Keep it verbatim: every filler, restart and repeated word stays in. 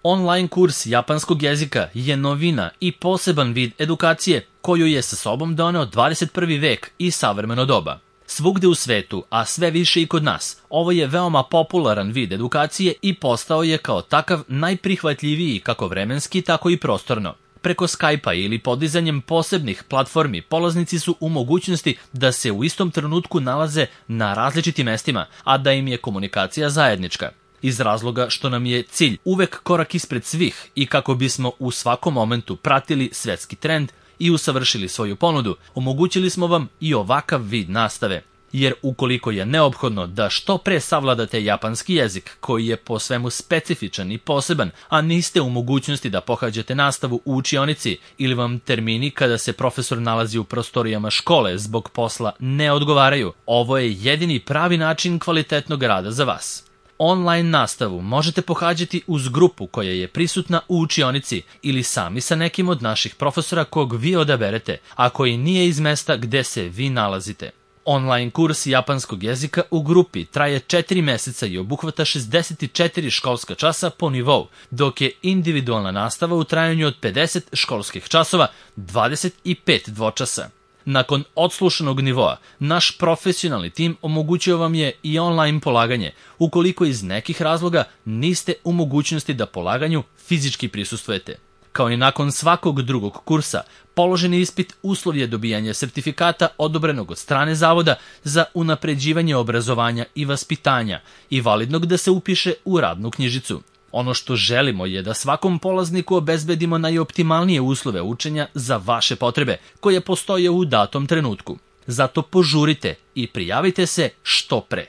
Online kurs japanskog jezika je novina i poseban vid edukacije koju je sa sobom doneo dvadeset prvi vek i savremeno doba. Svugde u svetu, a sve više i kod nas, ovo je veoma popularan vid edukacije i postao je kao takav najprihvatljiviji kako vremenski, tako i prostorno. Preko Skype-a ili podizanjem posebnih platformi polaznici su u mogućnosti da se u istom trenutku nalaze na različitim mestima, a da im je komunikacija zajednička. Iz razloga što nam je cilj uvek korak ispred svih i kako bismo u svakom momentu pratili svetski trend i usavršili svoju ponudu, omogućili smo vam i ovakav vid nastave. Jer ukoliko je neophodno da što pre savladate japanski jezik, koji je po svemu specifičan i poseban, a niste u mogućnosti da pohađate nastavu u učionici ili vam termini kada se profesor nalazi u prostorijama škole zbog posla ne odgovaraju, ovo je jedini pravi način kvalitetnog rada za vas. Online nastavu možete pohađati uz grupu koja je prisutna u učionici ili sami sa nekim od naših profesora kog vi odaberete, a koji nije iz mesta gde se vi nalazite. Online kurs japanskog jezika u grupi traje četiri meseca i obuhvata šezdeset četiri školska časa po nivou, dok je individualna nastava u trajanju od pedeset školskih časova dvadeset pet dvočasa. Nakon odslušanog nivoa, naš profesionalni tim omogućio vam je i online polaganje, ukoliko iz nekih razloga niste u mogućnosti da polaganju fizički prisustvujete. Kao i nakon svakog drugog kursa, položeni ispit uslov je dobijanje sertifikata odobrenog od strane zavoda za unapređivanje obrazovanja i vaspitanja i validnog da se upiše u radnu knjižicu. Ono što želimo je da svakom polazniku obezbedimo najoptimalnije uslove učenja za vaše potrebe, koje postoje u datom trenutku. Zato požurite i prijavite se što pre.